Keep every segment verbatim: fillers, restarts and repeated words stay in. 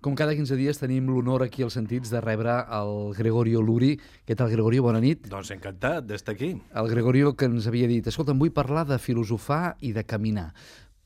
Com cada quinze dies tenim l'honor aquí als Sentits de rebre el Gregorio Luri. Què tal, Gregorio? Bona nit. Doncs encantat d'estar aquí. El Gregorio que ens havia dit, escolta, em vull parlar de filosofar i de caminar.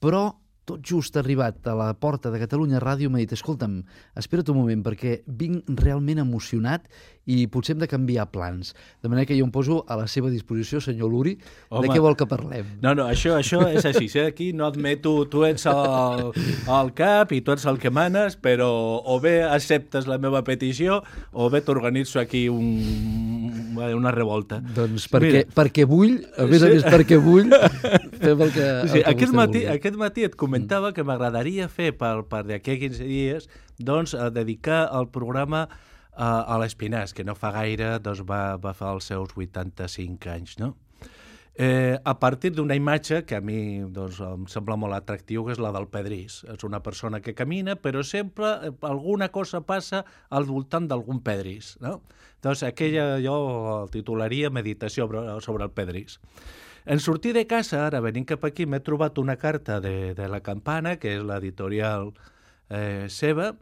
Però tot just arribat a la porta de Catalunya Ràdio m'ha dit, escolta'm, espera't un moment perquè vinc realment emocionat i potser hem de canviar plans. De manera que jo em poso a la seva disposició, senyor Luri. Home, de què vol que parlem? No, no, això, això és així. Eh? Aquí no admeto, tu ets el, el cap i tu ets el que manes, però o bé acceptes la meva petició o bé t'organitzo aquí un, una revolta. Doncs perquè, perquè vull, a més sí. a més perquè vull, fem el que, sí, el que aquest, matí, vulgui. aquest matí et comentava mm. que m'agradaria fer per, per d'aquí a quinze dies doncs, a dedicar el programa a, a l'Espinàs, que no fa gaire doncs, va, va fer els seus vuitanta-cinc anys, no? Eh, a partir d'una imatge que a mi doncs, em sembla molt atractiu, que és la del pedrís. És una persona que camina, però sempre alguna cosa passa al voltant d'algun pedrís, no? Doncs aquella jo el titularia Meditació sobre el pedrís. En sortir de casa, ara venint cap aquí, m'he trobat una carta de, de La Campana, que és l'editorial eh, seva,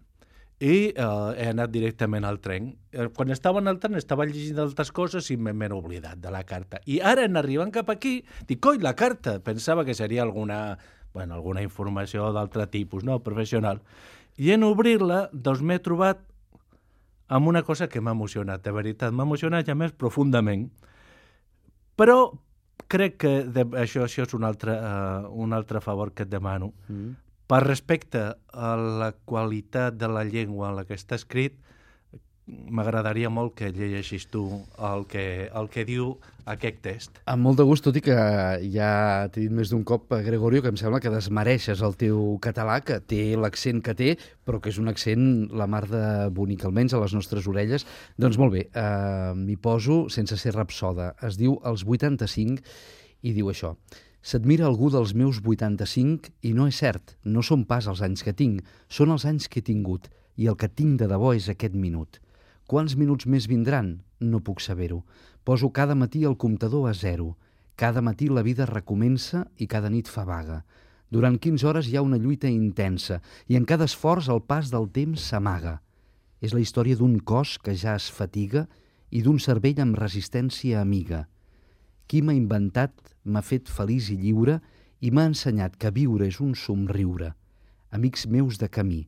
i eh, he anat directament al tren. Quan estava en el tren estava llegint altres coses i m'he oblidat de la carta. I ara, en arribant cap aquí, dic, coi, la carta! Pensava que seria alguna, bueno, alguna informació d'altre tipus, no? Professional. I en obrir-la, doncs m'he trobat amb una cosa que m'ha emocionat, de veritat. M'ha emocionat ja més profundament. Però crec que de, això, això és un altre, uh, un altre favor que et demano. Mm. Per respecte a la qualitat de la llengua en la que està escrit, m'agradaria molt que llegeixis tu el que, el que diu aquest text. Amb molt de gust, tot i que ja t'he dit més d'un cop, Gregorio, que em sembla que desmereixes el teu català, que té l'accent que té, però que és un accent la mar de bonic, almenys a les nostres orelles. Doncs molt bé, eh, m'hi poso sense ser rapsoda. Es diu Els vuitanta-cinc i diu això. S'admira algú dels meus vuitanta-cinc i no és cert, no són pas els anys que tinc, són els anys que he tingut i el que tinc de debò és aquest minut. Quants minuts més vindran? No puc saber-ho. Poso cada matí el comptador a zero. Cada matí la vida recomença i cada nit fa vaga. Durant quinze hores hi ha una lluita intensa i en cada esforç el pas del temps s'amaga. És la història d'un cos que ja es fatiga i d'un cervell amb resistència amiga. Qui m'ha inventat, m'ha fet feliç i lliure i m'ha ensenyat que viure és un somriure. Amics meus de camí,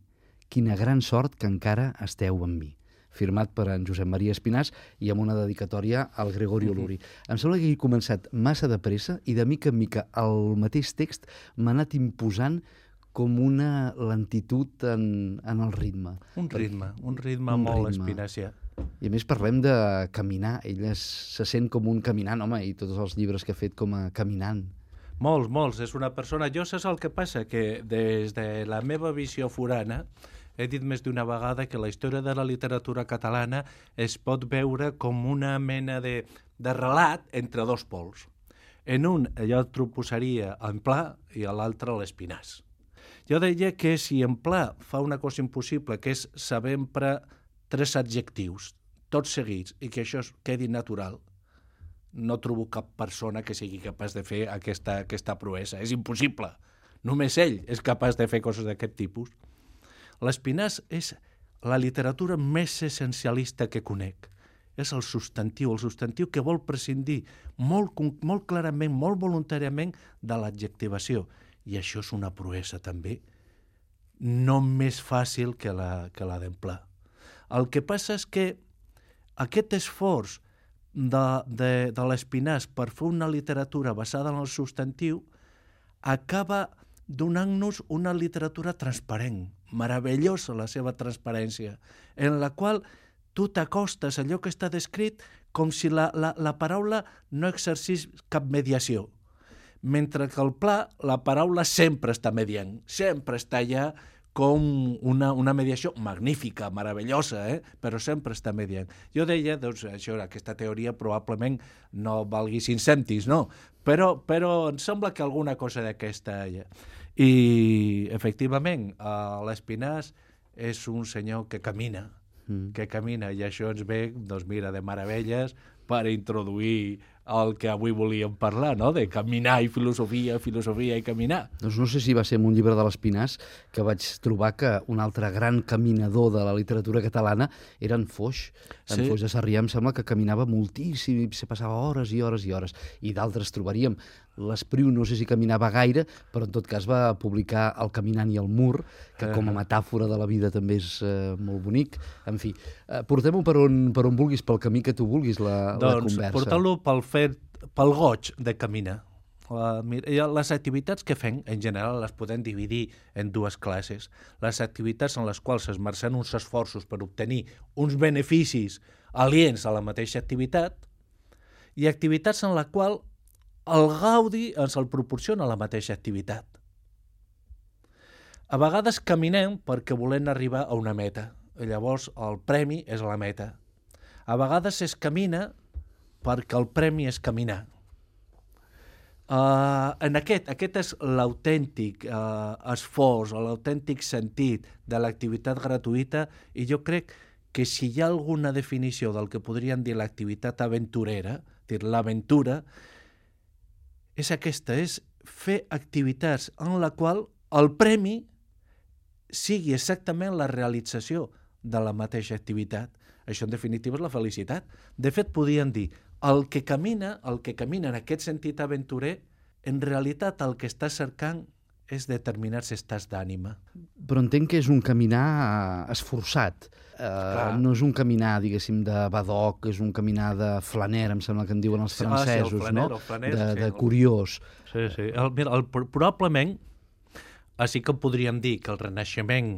quina gran sort que encara esteu amb mi. Firmat per en Josep Maria Espinàs i amb una dedicatòria al Gregorio Luri. Mm-hmm. Em sembla que he començat massa de pressa i de mica en mica el mateix text m'ha anat imposant com una lentitud en, en el ritme. Un ritme, un ritme un molt espinacià. I a més parlem de caminar. Ell es, se sent com un caminant, home, i tots els llibres que ha fet com a caminant. Molts, molts. És una persona... Jo saps el que passa? Que des de la meva visió forana he dit més d'una vegada que la història de la literatura catalana es pot veure com una mena de, de relat entre dos pols. En un, jo t'ho posaria en Pla i a l'altre l'Espinàs. Jo deia que si en Pla fa una cosa impossible, que és saber emprar tres adjectius, tots seguits, i que això quedi natural, no trobo cap persona que sigui capaç de fer aquesta, aquesta proesa. És impossible. Només ell és capaç de fer coses d'aquest tipus. L'Espinàs és la literatura més essencialista que conec. És el substantiu, el substantiu que vol prescindir molt, molt clarament, molt voluntàriament de l'adjectivació. I això és una proesa també, no més fàcil que la, que la d'emplar. El que passa és que aquest esforç de, de, de l'Espinàs per fer una literatura basada en el substantiu acaba donant-nos una literatura transparent, meravellosa la seva transparència, en la qual tu t'acostes a allò que està descrit com si la, la, la paraula no exercís cap mediació, mentre que al Pla la paraula sempre està mediant, sempre està allà com una, una mediació magnífica, meravellosa, eh? Però sempre està mediant. Jo deia, doncs, això, aquesta teoria probablement no valgui cinc cèntims, no? Però, però em sembla que alguna cosa d'aquesta hi ha. I, efectivament, l'Espinàs és un senyor que camina, mm. que camina, i això ens ve, doncs mira, de meravelles, per introduir el que avui volíem parlar, no? De caminar i filosofia, filosofia i caminar. Doncs no sé si va ser en un llibre de l'Espinàs que vaig trobar que un altre gran caminador de la literatura catalana era en Foix. En Sí. Foix de Sarrià em sembla que caminava moltíssim i se passava hores i hores i hores. I d'altres trobaríem. L'Espriu no sé si caminava gaire, però en tot cas va publicar El caminant i el mur, que com a metàfora de la vida també és eh, molt bonic. En fi, eh, portem-ho per on, per on vulguis, pel camí que tu vulguis, la, la Doncs conversa. portar-lo pel fet, pel goig de caminar. Uh, mira, les activitats que fem, en general, les podem dividir en dues classes. Les activitats en les quals esmercem uns esforços per obtenir uns beneficis aliens a la mateixa activitat i activitats en la qual el gaudi ens el proporciona la mateixa activitat. A vegades caminem perquè volem arribar a una meta. I llavors el premi és la meta. A vegades es camina perquè el premi és caminar. Uh, en aquest, aquest és l'autèntic uh, esforç, l'autèntic sentit de l'activitat gratuïta, i jo crec que si hi ha alguna definició del que podríem dir l'activitat aventurera, dir l'aventura, és aquesta, és fer activitats en la qual el premi sigui exactament la realització de la mateixa activitat. Això, en definitiva, és la felicitat. De fet, podríem dir, el que camina, el que camina en aquest sentit aventurer, en realitat el que està cercant és determinats estats d'ànima. Però entenc que és un caminar esforçat. Uh, no és un caminar, diguéssim, de badoc, és un caminar de flaner, em sembla que en diuen els francesos, ah, sí, el flaner, no? El flaner, de, sí, de el... curiós. Sí, sí. El, mira, el, probablement, així que podríem dir que el Renaixement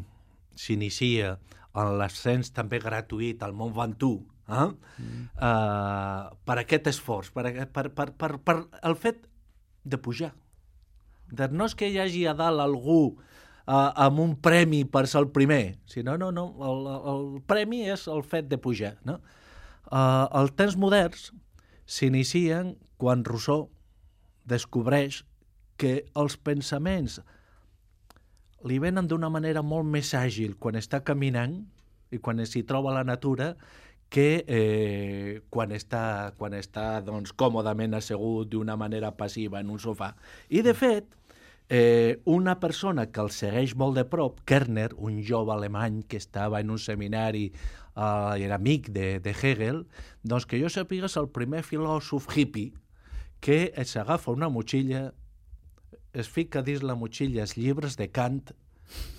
s'inicia en l'ascens també gratuït al Mont Ventoux, eh? mm. uh, per aquest esforç, per, per, per, per, per el fet de pujar. De, no és que hi hagi a dalt algú Uh, amb un premi per ser el primer, sinó no, no, el, el premi és el fet de pujar. No? Uh, els temps moderns s'inicien quan Rousseau descobreix que els pensaments li venen d'una manera molt més àgil quan està caminant i quan s'hi troba la natura que eh, quan està, quan està doncs, còmodament assegut d'una manera passiva en un sofà. I, de fet, Eh, una persona que el segueix molt de prop, Kerner, un jove alemany que estava en un seminari uh, i era amic de, de Hegel, doncs que jo sàpiga és el primer filòsof hippie que s'agafa una motxilla, es fica dins la motxilla els llibres de Kant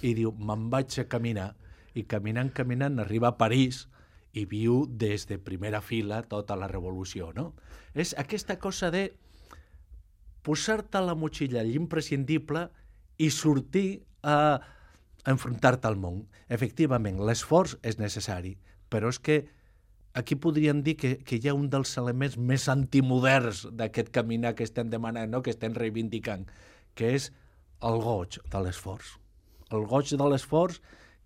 i diu, me'n vaig a caminar. I caminant, caminant, arriba a París i viu des de primera fila tota la revolució. No? És aquesta cosa de posar-te a la motxilla l'imprescindible i sortir a enfrontar-te al món. Efectivament, l'esforç és necessari, però és que aquí podríem dir que, que hi ha un dels elements més antimoderns d'aquest caminar que estem demanant, no? Que estem reivindicant, que és el goig de l'esforç. El goig de l'esforç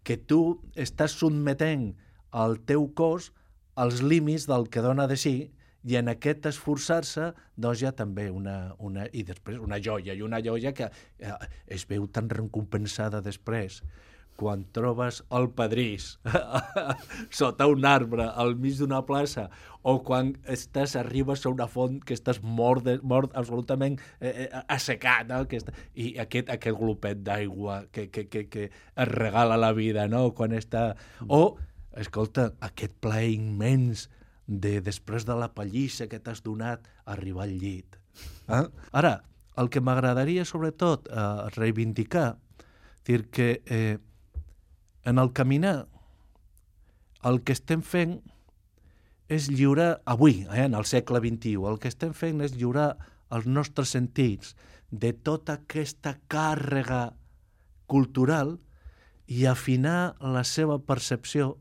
que tu estàs sotmetent al teu cos als límits del que dona de si, i en aquest esforçar-se doncs hi ha també una, una, i després una joia, i una joia que eh, es veu tan recompensada després quan trobes el pedrís sota un arbre al mig d'una plaça, o quan estàs, arribes a una font que estàs mort, de, mort absolutament eh, assecat, no? Que està, i aquest, aquest glopet d'aigua que, que, que, que es regala la vida, no? Quan està... O, escolta, aquest plaer immens de després de la pallissa que t'has donat arribar al llit. Eh? Ara, el que m'agradaria sobretot eh, reivindicar, dir que eh, en el caminar el que estem fent és lliurar, avui, eh, en el segle vint-i-u, el que estem fent és lliurar els nostres sentits de tota aquesta càrrega cultural i afinar la seva percepció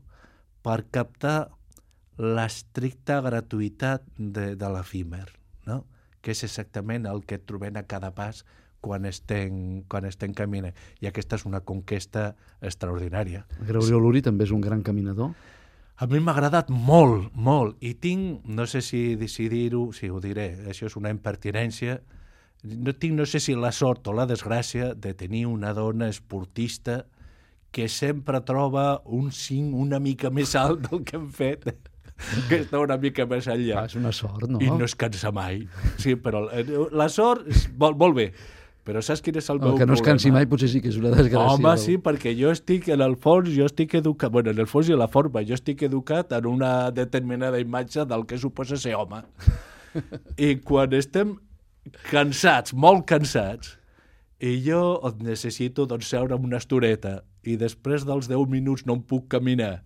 per captar l'estricta gratuïtat de, de l'efímer, no? Que és exactament el que trobem a cada pas quan estem, quan estem caminant. I aquesta és una conquesta extraordinària. Gregorio Luri també és un gran caminador? A mi m'ha agradat molt, molt, i tinc, no sé si, si dir-ho, si ho diré, això és una impertinència, no tinc, no sé si la sort o la desgràcia de tenir una dona esportista que sempre troba un cinc una mica més alt del que hem fet. que està una mica més enllà. Ah, és una sort, no? I no es cansa mai. Sí, però la sort és molt, molt bé. Però saps quin és el, el meu problema? Que no es cansi mai potser sí que és una desgràcia. Home, sí, perquè jo estic, en el fons, jo estic educat, bueno, en el fons i en la forma, jo estic educat en una determinada imatge del que suposa ser home. I quan estem cansats, molt cansats, i jo necessito doncs, seure amb una estoreta i després dels deu minuts no em puc caminar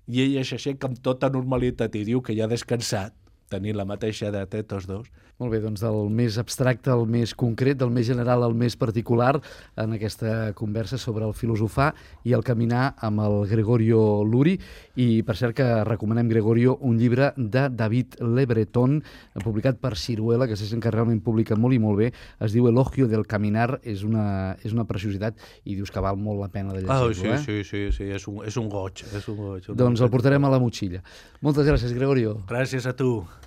i ella s'aixeca amb tota normalitat i diu que ja ha descansat, tenint la mateixa edat, eh, tots dos. Molt bé, doncs del més abstracte al més concret, del més general al més particular, en aquesta conversa sobre el filosofar i el caminar amb el Gregorio Luri. I per cert que recomanem, Gregorio, un llibre de David Le Breton, publicat per Siruela, que se sent que realment publica molt i molt bé. Es diu Elogio del caminar, és una, és una preciositat i dius que val molt la pena de llegir-lo. Ah, sí, eh? sí, sí, sí, és un, és un goig. És un goig un doncs goig. el portarem a la motxilla. Moltes gràcies, Gregorio. Gràcies a tu.